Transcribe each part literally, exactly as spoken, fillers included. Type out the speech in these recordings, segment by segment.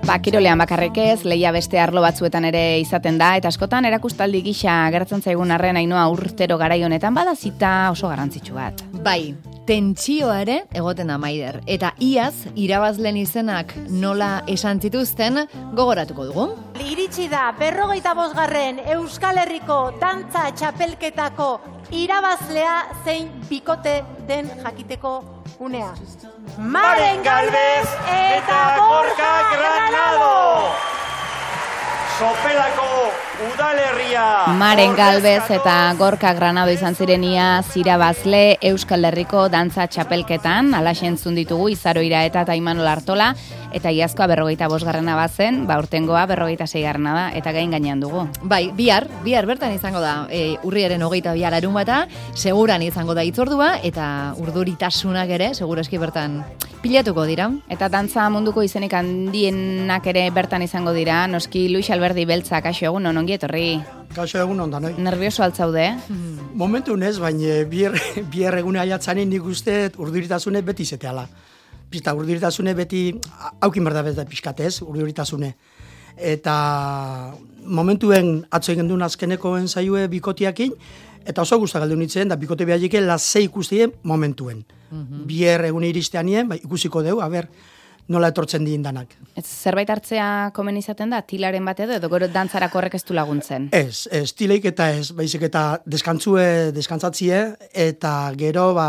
Ba, kirolean bakarrik ez, lehia beste arlo batzuetan ere izaten da, eta askotan erakustaldi gisa gertzen zaigun arren Ainhoa urtero garai honetan bada zita oso garrantzitsu bat. Bai, tentsioa ere egoten da Maider, eta iaz irabazlen izenak nola esan zituzten gogoratuko dugu. Iritsi da berrogeita bosgarren Euskal Herriko dantza txapelketako irabazlea zein bikote den jakiteko unea. Maren Galvez eta Gorka Granado! Sopelako udalerria. Maren Galvez eta Gorka Granado izan zirenia irabazle Euskal Herriko dantza txapelketan, alaxe entzun ditugu Izaroira eta Imanol Artola, eta iazkoa berrogeita bosgarrena bazen, ba urtengoa berrogeita seigarrena da, eta gain gainean dugu. Bai, bihar, bihar bertan izango da, e, urriaren hogeita bihar larun bata, seguran izango da itzordua, eta urduritasunak ere, segurazki bertan pilatuko dira. Eta dantza munduko izenik handienak ere bertan izango dira, noski Luis Alberdi Beltza, kaixo egun, ongi etorri. Kaixo egun ondan, oi? Nervioso altzaude? Momentu nez, baina bier egune aiatzanen nik uste urduritasune beti zeteala. Pista, urduritasune beti, haukin berda beti pixkatez, urduritasune. Eta momentuen atzo egin duen azkeneko ensaiue bikotiakin, eta oso guztak galdu nintzen, da bikote behar lasei ikustien momentuen. Mm-hmm. Bier egune iristeanien, ba, ikusiko deu, haber, nola etortzen dien danak. Ez, zerbait hartzea komen izaten da, tilaren bat edo, edo gero dantzarako horrek ez du laguntzen? Ez, ez, tileik eta ez, baizik eta deskantzue, deskantzatzie, eta gero, ba,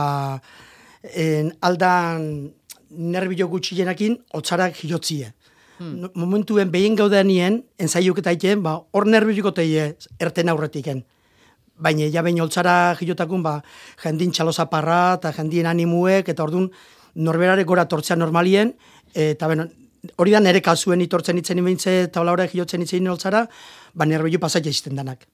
en, aldan nerbio gutxienekin, otzarak jotzie. Hmm. Momentuen behin gaudenien, ensaiuk eta iten, ba, hor nerbioiko teie erten aurretiken. Baina, ja behin oltzara jilotakun, ba, jendin txalozaparra, eta jendien animuek, eta orduan, norberare gora tortzea normalien, eta bueno, hori da nere kasuen itortzen itzen imeintze, eta hola hori jotzen itzen oltzara, ba nerbio pasatia izten danak.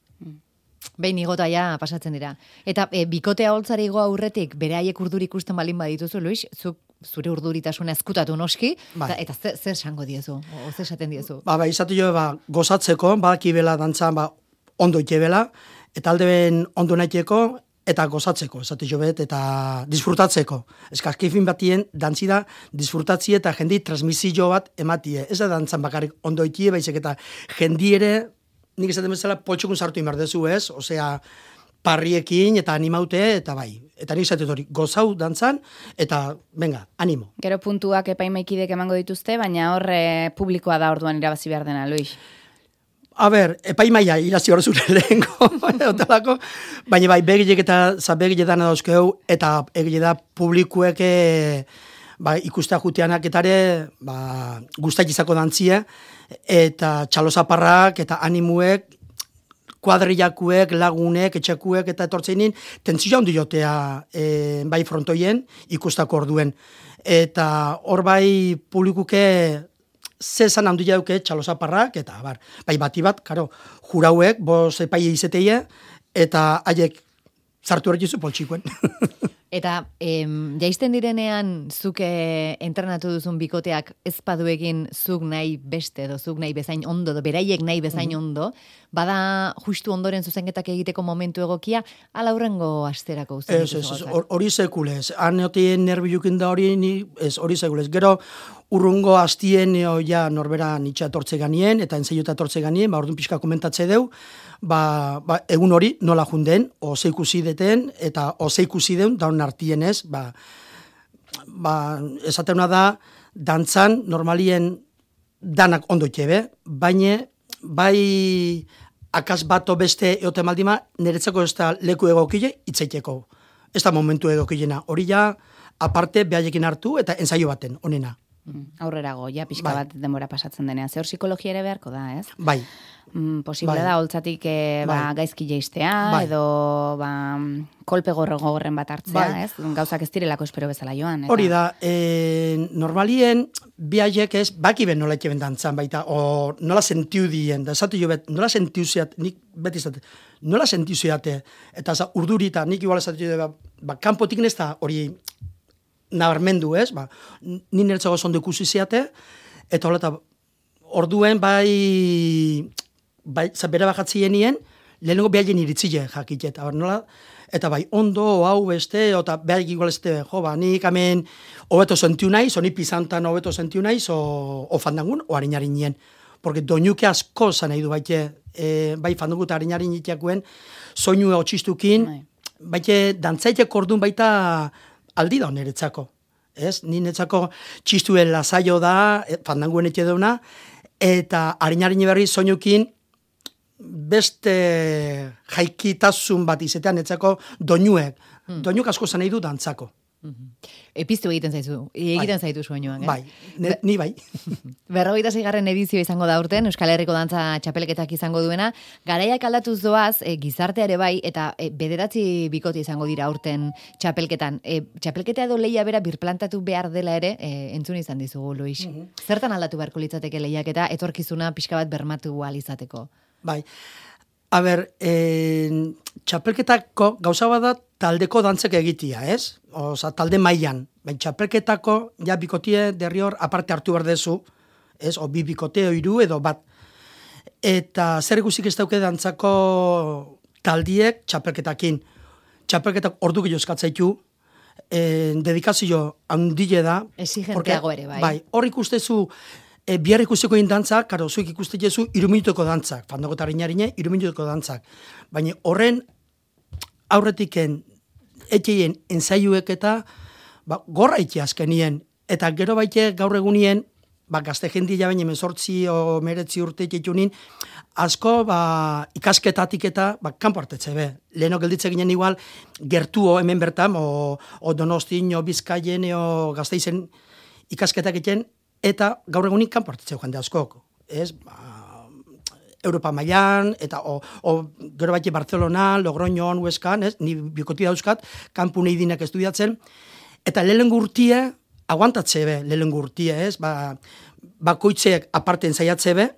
Behin igota ja pasatzen dira. Eta e, bikotea holtzari igoa aurretik, bere haiek urduri ikusten balin badituzu, Luis, zuk zure urduritasuna eskutatu noski, bai. eta, eta zer, zer esango diezu, o zer esaten diezu? Ba, ba, izatu jo, ba, gozatzeko, badaki bela dantzan, ba, ondo itebela, eta alde ben ondo naiteko, eta gozatzeko, esate jo bet, eta disfrutatzeko. Eskazkifin batien, dantzi da, disfrutatzie eta jendi transmisio bat ematie. Ez da dantzan bakarrik ondo itie, baizik eta jendi ere, nik esaten bezala, poltsukun sartu imardezu, ez? Osea, parriekin eta animaute, eta bai. Eta nik esaten hori, gozau dantzan, eta, venga, animo. Gero puntuak epaimaikidek emango dituzte, baina hor eh, publikoa da orduan irabazi behar dena, Luis. A ber, epaimaia irazi hor zure lehenko, baina bai, begilek eta zabegile dana dauzkeu, eta egile da publikuek ba, ikustea juteanak etare ba, guztak izako dantzie, eta txalozaparrak eta animuek, kuadrillakuek, lagunek, etxekuek eta etortzeinin, tentzioa handi jotea e, bai frontoien ikustako orduen. Eta hor bai publikuke zezan handu jauke txalozaparrak, eta bar, bai bati bat, karo, jurauek, bos epaile izeteie, eta haiek zartu horretzizu poltsikuen. Eta em, jaisten direnean zuke entrenatu duzun bikoteak ez paduekin zuk nahi beste edo zuk nahi bezain ondo, edo beraiek nahi bezain mm-hmm. ondo, bada justu ondoren zuzenketak egiteko momentu egokia, ala hurrengo asterako usten Ez, ez, hori sekulez. Aneotien nerbilukin da hori, ez, hori sekulez. Gero, urrungo hastien ja norbera nitsa tortze ganien, eta enzaiota tortze ganien, ba, orduan pixka komentatze deu, ba, ba, egun hori nola junden, ose ikusi deten, eta ose ikusi deun, daun artien ez, ba, ba, esateuna da, dantzan, normalien danak ondo itxebe, baina, bai, akas bato beste eote maldima, niretzako ez da leku egokile, itzaiteko. Ez da momentu egokilena. Hori ja, aparte, behaiekin hartu, eta ensaio baten, onena. Aurrerago, ja, pixka bai. bat denbora pasatzen denean. Zer psikologia ere beharko da, ez? Bai. Mm, posible bai. da, holtzatik e, ba, bai. gaizki jeistea, bai. edo ba, kolpe gogorren bat hartzea, bai. ez? Gauzak ez direlako espero bezala joan. Eta... Hori da, e, normalien, bi haiek ez, baki ben nola ikeben dantzan baita, o nola sentiu dien, da esatu jo bet, nola sentiu zeat, nik beti esate, nola sentiu zeate, eta za, urdurita, nik igual esatu jo, ba, ba kanpotik nesta hori, nabarmendu ez, ba, ni niretzago zondo ikusi zeate, eta hola, orduen bai, bai, bere bajatzien nien, lehenengo behaien iritzile jakite, eta nola, eta bai, ondo, hau beste, eta behar igual este, jo, ba, nik hemen hobeto sentiu naiz, oni pizantan hobeto sentiu naiz, o, o fandangun, o harinarinen. Porque doinuke asko zan nahi du baite, e, bai fandangu eta harinarin itiakuen, soinua otxistukin, baite dantzaitek ordun baita aldi da niretzako. Ez? Ni netzako txistuen lasaio da, fandanguen etxe deuna, eta harinarin berri soinukin beste jaikitasun bat izetean netzako doinuek. Hmm. Doinuk asko zan nahi du dantzako. Mm-hmm. Epiztu egiten zaizu, egiten bai. Zaitu soinuan, eh? Bai, ne, ni bai. Berrogeita seigarren edizio izango da urten, Euskal Herriko dantza txapelketak izango duena, garaiak aldatuz doaz, e, gizarteare bai, eta e, bederatzi bikote izango dira urten txapelketan. E, txapelketa edo lehia bera birplantatu behar dela ere, e, entzun izan dizugu, Luis. Mm-hmm. Zertan aldatu beharko litzateke lehiak eta etorkizuna pixka bat bermatu alizateko? Bai, a ber, e, txapelketako gauza bada taldeko dantzek egitia, ez? Osa, talde mailan. Baina txapelketako, ja, bikotie derri hor aparte hartu behar dezu, ez? O bi bikote, hiru edo bat. Eta zer guztik ez dauke dantzako taldiek txapelketakin. Txapelketak ordu gehiago eskatzaitu, e, dedikazio handile da. Exigenteago ere, bai. Bai, hor ikustezu, e, bihar ikusteko dantzak, karo, zuek ikustezu iru minutuko dantzak, fandago eta harinarinei, iru minutuko dantzak. Baina horren aurretiken etxeien ensaiuek eta ba, gorra itxe azkenien. Eta gero baite gaur egunien, ba, gazte jendia baina emezortzi o meretzi urte itxetunin, asko ba, ikasketatik eta ba, kanpo hartetze be. Leheno gelditze ginen igual gertuo hemen bertan, o, o Donostin, o Bizkaien, o Gasteizen ikasketak egiten, eta gaur egunin kanpo hartetze joan de askok. Ez, ba, Europa mailan, eta o, o gero baite Barcelona, Logroñon, Huescan, ez? Ni bikoti dauzkat, kanpu nahi dinak estudiatzen, eta lehen gurtie, aguantatze be, lehen gurtie, ez? Ba, bakoitzeak aparten zaiatze be,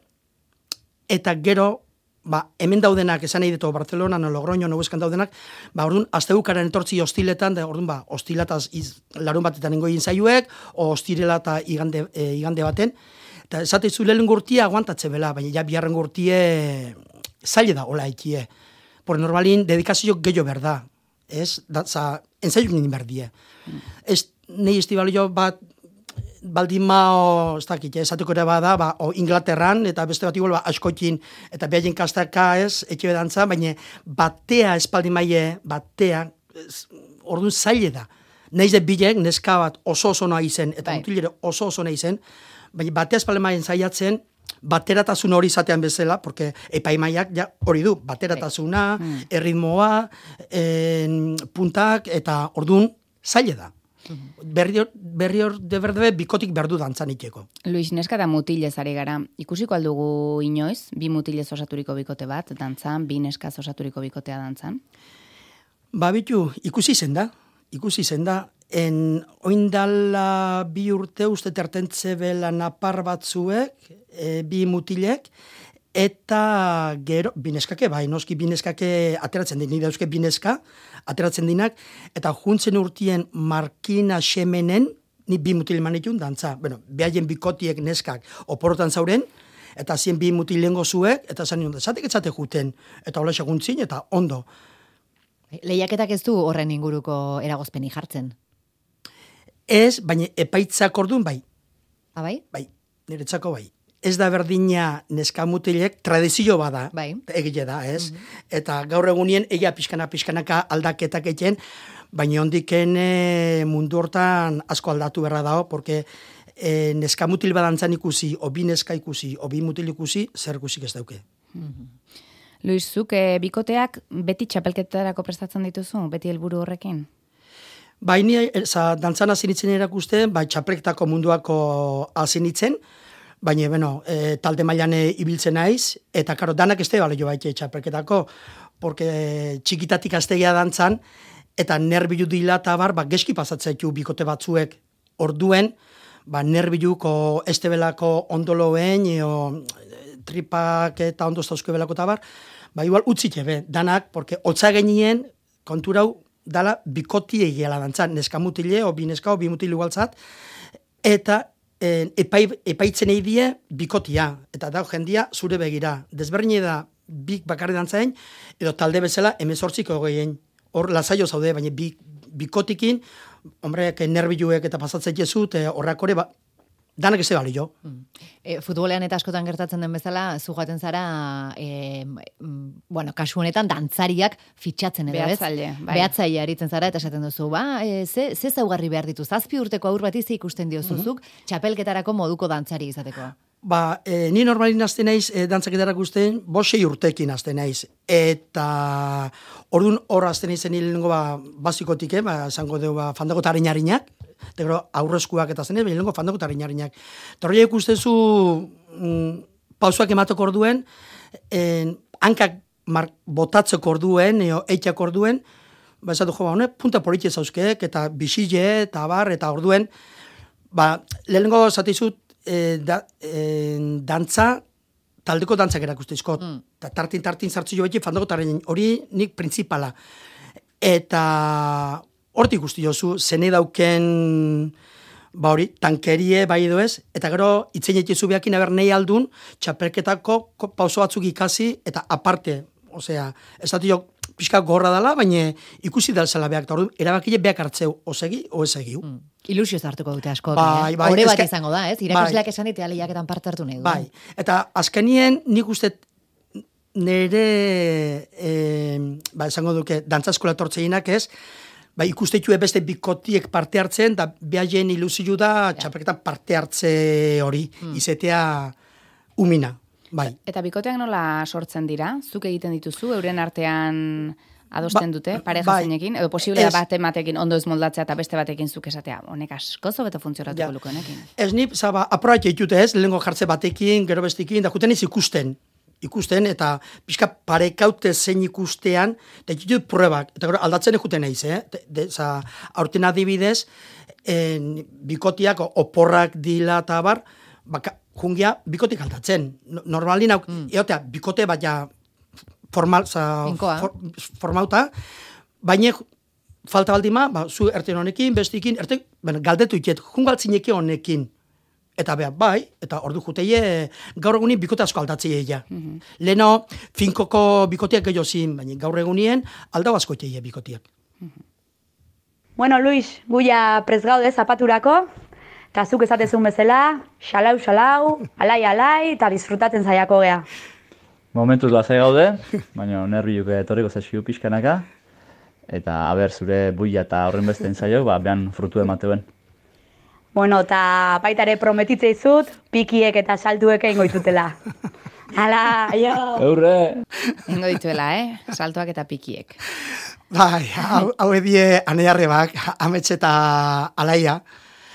eta gero, ba, hemen daudenak, esan nahi ditu, Barcelona, no, Logroñon, no, Huescan daudenak, ba, orduan, asteukaren etortzi hostiletan, da, orduan, ba, hostilataz iz, larun batetan ingoien zaiuek, o hostirela eta igande, e, igande baten, eta esateizu lehen gurtia aguantatze bela, baina ja biharren gurtie zaila da, hola ekie. Por normalin, dedikazio gehiago berda. Ez? Datza, enzaiuk nindin berdie. Mm. Ez, nahi estibalio bat, baldin mao, ez dakit, esatuko ere bada, ba, o Inglaterran, eta beste bat igual, ba, askotin, eta behaien kastaka ez, etxe bedantza, baina batea espaldin maie, batea, orduan zaila da. Naiz de bilek, neska bat oso oso nahi zen, eta mutilere oso oso nahi zen, baina batea espalemaien zaiatzen, bateratasun hori izatean bezala, porque epaimaiak ja, hori du, bateratasuna, mm. erritmoa, en, puntak, eta ordun zaila da. Mm. Berri hor, berri hor de berdebe, bikotik berdu dantzan itxeko. Luis, neska da mutilez ari gara. Ikusiko aldugu inoiz, bi mutilez osaturiko bikote bat, dantzan, bi neskaz osaturiko bikotea dantzan? Ba, bitu, ikusi zen da, ikusi zen da, En oindala bi urte uste tertentze bela napar batzuek, e, bi mutilek, eta gero, bineskake, bai, noski bineskake ateratzen din, nire euske bineska, ateratzen dinak, eta juntzen urtien Markina Xemenen, ni bi mutil manitun dantza. Bueno, behaien bikotiek neskak oporotan zauren, eta zien bi mutilengo zuek, eta zan nion, zatek etzate juten, eta hola seguntzin, eta ondo. Lehiaketak ez du horren inguruko eragozpeni jartzen? Ez, baina epaitzak orduan bai. Ah, bai? Bai, niretzako bai. Ez da berdina neska mutilek tradizio bada, bai. Egile da, ez? Mm-hmm. Eta gaur egunien egia pixkana-pixkanaka aldaketak egiten, baina ondiken e, mundu hortan asko aldatu berra dago, porque e, neska mutil badantzan ikusi, o bi neska ikusi, o bi mutil ikusi, zer ikusik ez dauke. Mm-hmm. Luis, zuk e, bikoteak beti txapelketarako prestatzen dituzu, beti helburu horrekin? Baini, dantzan azinitzen erakusten, bai txapelketako munduako azinitzen, baina, bueno, e, talde mailan ibiltzen naiz, eta karo, danak ez da jo baite txapelketako, porque txikitatik aztegia dantzan, eta nerbilu dila eta bar, ba, geski pasatzaitu bikote batzuek orduen, ba, nerbiluko estebelako ondoloen, o, tripak eta ondoztauzko belako eta bar, ba, igual utzite be, danak, porque hotza genien, konturau, dala bikoti egiela dantzan, neska mutile, o bi neska, o bi mutile igualtzat, eta e, epai, epaitzen eidie bikotia, eta da jendia zure begira. Desberdine da bik bakarri dantzain, edo talde bezala emezortziko geien. Hor lasaio zaude, baina bi, bikotikin, hombre, nerbiluek eta pasatzen jezu, horrak hori, ba, danak ez bali jo. Mm. E, futbolean eta askotan gertatzen den bezala, zu joaten zara, e, bueno, kasu honetan, dantzariak fitxatzen edo, ez? Behatzaile, bai. Behatzaile aritzen zara, eta esaten duzu, ba, e, ze, ze zaugarri behar ditu, zazpi urteko aur bat izi ikusten diozuzuk, mm -hmm. txapelketarako moduko dantzari izateko. Ba, e, ni normalin azte naiz, e, dantzaketarak ustein, bosei urtekin azte naiz. Eta orduan hor azte naizen hilengo ba, basikotik, eh, ba, esango dugu, ba, fandago tarinarinak, eta gero aurrezkuak eta zenez, baina lengo fandago tarinarinak. Eta hori ikustezu mm, pausuak emateko orduen, en, hankak mar, botatzeko orduen, eo, eitxak orduen, ba, esatu jo, ba, hone, punta politxe zauzkeek, eta bisile, eta bar, eta orduen, ba, lehenengo zatizut, E, da, e, dantza, taldeko dantzak erakustezko. Mm. Ta, tartin, tartin zartzu jo beti, fandago taren hori nik principala. Eta hortik guzti jozu, zene dauken, ba hori, tankerie bai edo ez, eta gero itzen etizu behakin aber nahi aldun, txapelketako pauso batzuk ikasi, eta aparte, osea, ez dati jo, pixka gorra dela, baina ikusi dalzela behak, eta hori, erabakile behak hartzeu, osegi, o ez egiu. Mm. Ilusio zartuko dute asko. Bai, eh? bai, Hore bat eske, izango da, ez? Irakasleak esan ditea lehiaketan parte hartu nahi du. Bai, eta azkenien nik uste nire, e, ba, esango duke, dantza eskola tortzeinak ez, ba, ikusteitue beste bikotiek parte hartzen, da behaien ilusio da, ja. Txapelketan parte hartze hori, hmm. izetea umina. Bai. Eta bikoteak nola sortzen dira? Zuk egiten dituzu, euren artean adosten ba, dute, pareja bai, zeinekin, edo posiblea bat ematekin ondo ez moldatzea eta beste batekin zuk esatea, honek asko zobeto funtzionatuko ja. Luko honekin. Ez nip, zaba, aprobat egitute ez, lehenko jartze batekin, gero bestekin, da juten ez ikusten, ikusten, eta pixka parekaute zein ikustean, eta egitut pruebak, eta gero aldatzen egiten eiz, eh? De, de, za, aurten adibidez, en, bikotiak oporrak dila eta bar, baka, jungia bikotik aldatzen. Normalin, mm. eotea, bikote bat ja, formal, za, for, formauta, baina falta baldima, ba, zu erten honekin, bestikin, erten, bueno, galdetu iket, jungaltzineke honekin, eta beha, bai, eta ordu juteie, gaur egunin bikote asko aldatzea ja. Mm-hmm. Leno, finkoko bikotiak gehiago zin, baina gaur egunien aldau asko iteie bikotiak. Mm-hmm. Bueno, Luis, guia prez gaude zapaturako, eta zuk esatezun bezala, xalau, xalau, alai, alai, eta disfrutatzen zaiako gea. Momentuz lazai gaude, baina nerbiuk etorriko zaizkiu pixkanaka, eta aber zure buia eta horren beste entzaiok, ba, behan frutu emateuen. Bueno, eta baita ere prometitze izut, pikiek eta saltuek egingo ditutela. Hala, aio! Eurre! Egingo dituela, eh? Saltuak eta pikiek. Bai, hau, hau edie anearrebak, ametxe eta alaia,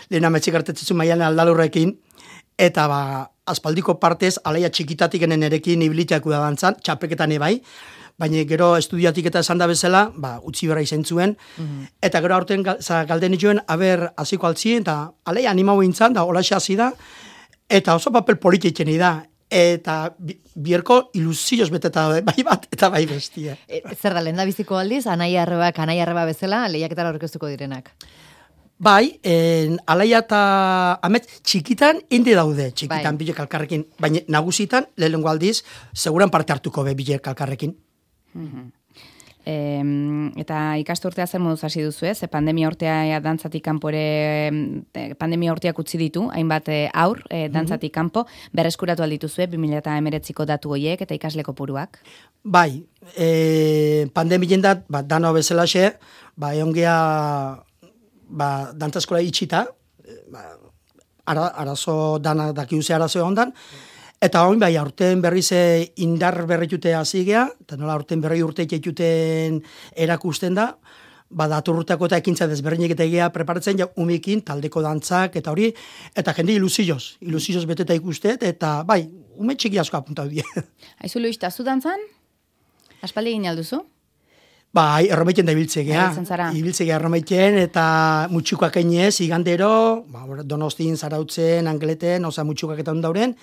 lehen ametxe gartetzitzu mailan aldalurrekin, eta ba, aspaldiko partez, alaia txikitatik enen erekin ibiliteak da dantzan, txapeketan ebai, baina gero estudiatik eta esan da bezala, ba, utzi berra izan zuen, mm-hmm. eta gero aurten galden joen, aber hasiko altzien, eta alaia animau intzan, da holaxe hasi da, eta oso papel polititzen da, eta bierko ilusioz beteta da, bai bat, eta bai bestia. E, zer da, lehen da biziko aldiz, anai arrebak, anai arreba bezala, lehiaketara aurkeztuko direnak? Bai, en, alaia eta amet txikitan indi daude, txikitan bai. Bilek alkarrekin, baina nagusitan, lehenengo aldiz, seguran parte hartuko be bilek alkarrekin. Mm-hmm. E, eta ikasturtea zer moduz hasi duzu ez? Pandemia urtea dantzatik kanpore, pandemia urteak utzi ditu, hainbat aur, e, dantzatik kanpo, berreskuratu aldituzue, bi mila hemeretziko datu hoiek eta ikasle kopuruak? Bai, e, pandemien dat, ba, dano bezalaxe, ba, egon gea, ba, dantza eskola itxita, ba, ara, arazo dana dakiuze arazo ondan, eta hori bai, aurten berriz indar berritute hazigea, eta nola aurten berri urte itxetuten erakusten da, ba, daturrutako eta ekintza desberdinek eta egia preparatzen ja umikin, taldeko dantzak, eta hori, eta jende ilusioz, ilusioz beteta ikustet, eta bai, ume txiki asko apuntau die. Aizu Luis, eta zu dantzan? Aspaldi egin alduzu? Bai, erromeiten da ibiltzegea. Ibiltzegea erromeiten, eta mutxukoak einez, igandero, ba, Donostin, Zarautzen, Angleten, oza mutxukoak eta ondauren,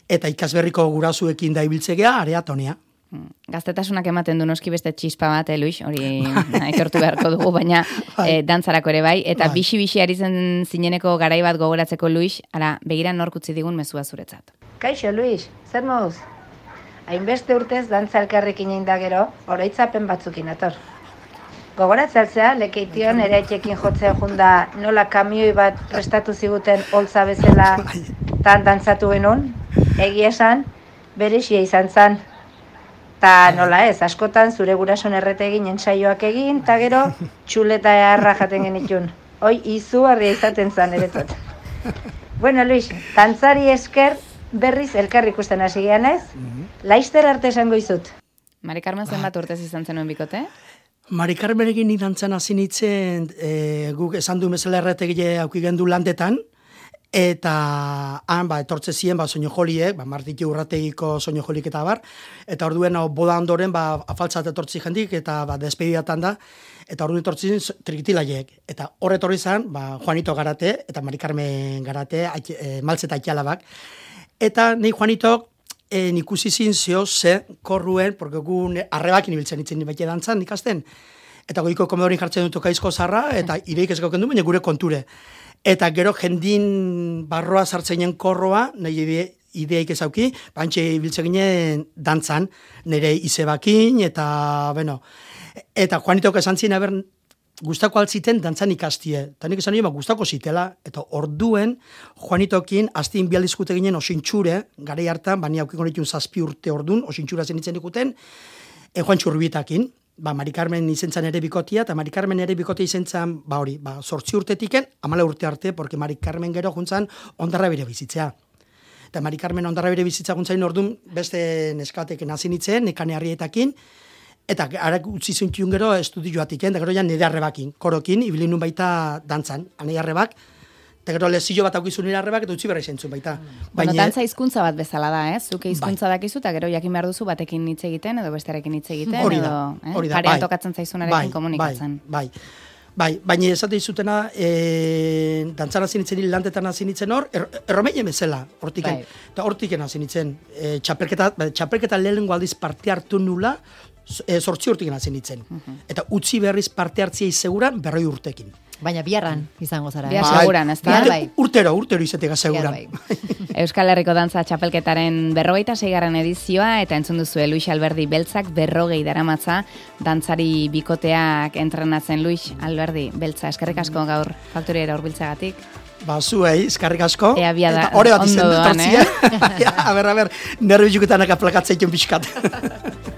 eta ikasberriko gurasuekin da ibiltzegea, area tonea. Gaztetasunak ematen du noski beste txispa bat, eh, Luis, hori aitortu beharko dugu, baina bai. eh, dantzarako ere bai, eta bai. Bixi-bixi ari zen zineneko garai bat gogoratzeko, Luis, ara, begira nork utzi digun mezua zuretzat. Kaixo, Luis, zer moduz? hainbeste urtez dantza elkarrekin egin da gero, oroitzapen batzukin ator. Gogoratzaltzea, lekeition ere etxekin jotzea junda nola kamioi bat prestatu ziguten holtza bezala tan dantzatu genuen, egia esan, berexia izan zan. Ta nola ez, askotan zure gurason errete egin ensaioak egin, ta gero txuleta eharra jaten genitun. Hoi izugarria izaten zan eretot. Bueno, Luis, dantzari esker berriz elkar ikusten hasi gean ez? Laister arte esango izut. Mari Carmen zenbat urtez izan zenuen bikote? Mari Carmenekin nik dantzan hasi nintzen, e, guk esan du bezala erretegile auki gendu landetan, eta han, ba, etortze ziren, ba, soinu joliek, ba, Martiti urrategiko soinu jolik eta bar, eta orduen, no, boda ondoren, ba, afaltzat etortzi jendik, eta, ba, despedidatan da, eta orduen etortzi ziren trikitilaiek. Eta horre etorri zen, ba, Juanito Garate, eta Mari Carmen Garate, e, maltzeta aitalabak. Eta nahi Juanitok, E, ikusi zin zio ze korruen, porque gu arrebakin ibiltzen itzen baita dantzan ikasten. Eta goiko komedorin jartzen dut okaizko zarra, eta ireik ez gauken du, baina gure konture. Eta gero jendin barroa sartzeinen korroa, nahi ide, ideik ezauki, bantxe ibiltzen ginen dantzan, nire izebakin, eta, bueno, eta Juanitok esan zin, aber, gustako altziten dantzan ikastie. Eta nik esan nire, gustako zitela. Eta orduen, Juanitokin, aztien bialdizkute ginen osintxure, gara hartan, bani haukiko ditun zazpi urte ordun, osintxura zen itzen ikuten, e, Juan Txurbitakin, ba, Mari Carmen izentzan ere bikotia, eta Mari Carmen ere bikotia izentzan, ba hori, ba, sortzi urtetiken, amala urte arte, porque Mari Carmen gero juntzan ondarra bere bizitzea. Eta Mari Carmen ondarra bere bizitza juntzain ordun, beste neskateken hasi nitzen, nekane harrietakin, eta harak utzi zuntziun gero estudioatik, eta gero ja nire arrebakin, korokin, ibili nun baita dantzan, anei arrebak, eta gero lezillo bat aukizun nire arrebak, eta utzi berra izentzun baita. Bueno, dantza hizkuntza bat bezala da, ez? Zuke hizkuntza dakizu, eta gero jakin behar duzu batekin hitz egiten, edo bestearekin hitz egiten, hori da, edo hori da, parean bai, tokatzen zaizunarekin komunikatzen. Bai, bai, bai, baina esate izutena, e, dantzan hasi nintzen, lantetan hasi nintzen hor, er, erromeien bezala, hortiken, Bai. eta hortiken hasi nintzen, e, txapelketa, txapelketa lehenengo aldiz parte hartu nula, e, sortzi urtiken hasi nintzen. Eta utzi berriz parte hartziei seguran berroi urtekin. Baina biarran izango zara. Bihar eh? seguran, ez da? Bihar bai. Urtero, urtero izetega seguran. Bihar Euskal Herriko Dantza Txapelketaren berrogeita seigarren edizioa, eta entzun duzu Luis Alberdi Beltzak berrogei daramatza dantzari bikoteak entrenatzen. Luis Alberdi Beltza, eskerrik asko gaur faktoriera hurbiltzagatik. Ba, zuei, eskarrik asko. Ea bia da, eta hori bat ondo izen doan, dut, eh? A ber, a ber, nervi juketanak aplakatzeiken pixkat.